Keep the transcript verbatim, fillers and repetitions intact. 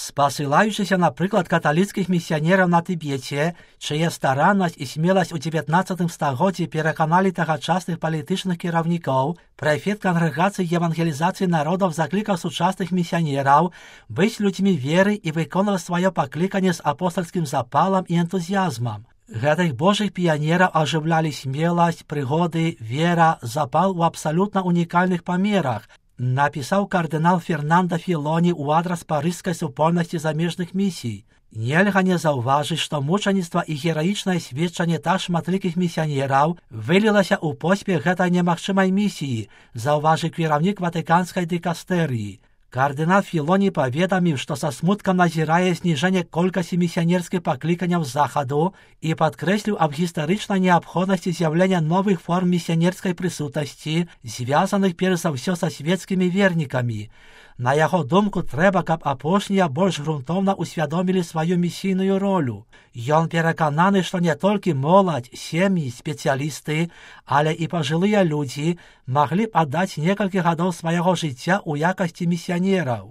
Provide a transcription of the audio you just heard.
Спасылаючыся на прыклад каталіцкіх місіянераў на Тыбеце, чые стараннасць і смеласць у дзевятнаццатым стагоддзі пераканалі тагачасных палітычных кіраўнікоў, прэфект кангрэгацыі евангелізацыі народаў заклікаў сучасных місіянераў быць людзьмі веры і выконваць сваё пакліканне з апостальскім запалам і энтузіязмам. Гэтых божых піянераў ажыўлялі смеласць, прыгоды, вера, запал у абсалютна унікальных памерах, напісаў кардынал Фернанда Філоні ў адрас парыжскай супольнасці замежных місій. Нельга не заўважыць, што мучаніцтва і гераічнае сведчанне так шматлікіх місіянераў вылілася ў поспех гэтай немагчымай місіі, заўважыў кіраўнік ватыканскай дыкастэрыі. Кардынал Філоні паведаміў, што са смуткам назірае зніжэнне колькасці місіянерскіх пакліканняў з захаду і падкрэсліў аб гістарычнай неабходнасці з'яўлення новых форм місіянерскай прысутнасці, звязаных перш за ўсё са свецкімі вернікамі. На яго думку, трэба, каб апошнія больш грунтоўна усвядомілі сваю місійную ролю. Ён перакананы, што не толькі моладзь, сем'і, спецыялісты, але і пажылыя людзі маглі б аддаць некалькі гадоў свайго жыцця ў якасці місіянераў.